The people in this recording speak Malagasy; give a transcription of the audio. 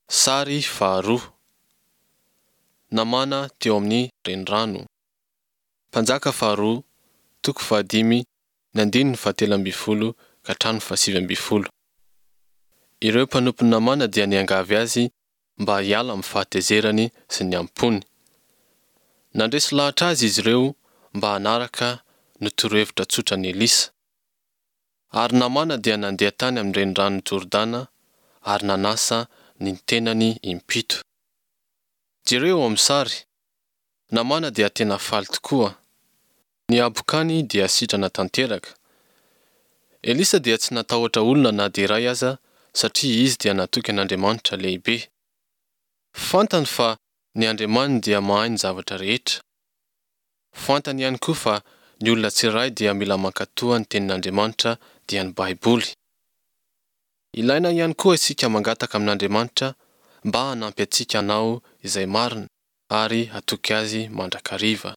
Sary faharoa. Namana teo amin'ny renirano. Mpanjaka faharoa, toko fahadimy, ny andininy fahatelo ambin'ny folo ka hatramin'ny fahasivy ambin'ny folo. Ireo mpanompon'i Namàna dia niangavy azy mba hiala amin'ny fahatezerany sy ny am-pony. Nandresy lahatra azy izy ireo mba hanaraka ny torohevitra tsotran'i Elisa. Ary Namàna dia nandeha tany amin'ny reniranon'i Jordana ary nanasa ny tenany impito. Jereo eo amin'ny sary. Namàna dia tena faly tokoa. Ny habokany dia sitrana tanteraka. Elisa dia tsy natahotra olona na dia iray aza satria izy dia natoky an'Andriamanitra lehibe. Fantany fa ny Andriamaniny dia mahay ny zavatra rehetra. Fantany ihany koa fa ny olona tsirairay dia mila mankatoa ny Tenin'Andriamanitra dia ny Baiboly. Ilaina ihany koa isika mangataka amin'Andriamanitra mba hanampy antsika hanao izay marina ary hatoky Azy mandrakariva.